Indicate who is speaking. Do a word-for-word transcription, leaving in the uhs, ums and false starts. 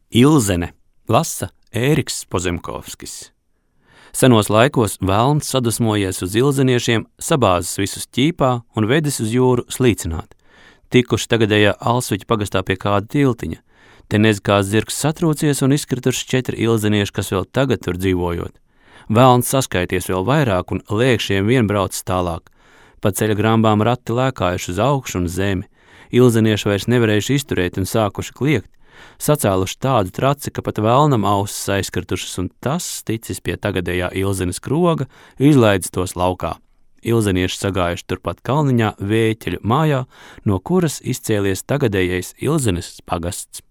Speaker 1: Ilzene lasa Ēriks Pozemkovskis. Senos laikos velns sadusmojies uz ilzeniešiem, sabāzis visus ķīpā un vedis uz jūru slīcināt. Tikuši tagadējā Alsviķa pagastā pie kāda tiltiņa. Te nez kā zirgs satrūcies un izkrituši četri ilzenieši, kas vēl tagad tur dzīvojot. Velns saskaities vēl vairāk un lēkšiem vien braucis tālāk. Pa ceļa grambām rati lēkājuši uz augšu un zemi. Ilzenieši vairs nevarējuši izturēt un sākuši kliegt. Sacēluši tādu traci, ka pat velnam ausis aizkritušas, un tas, ticis pie tagadējā Ilzenes kroga, izlaidis tos laukā. Ilzenieši sagājuši turpat kalniņā Vēķeļu mājā, no kuras izcēlies tagadējais Ilzenes pagasts.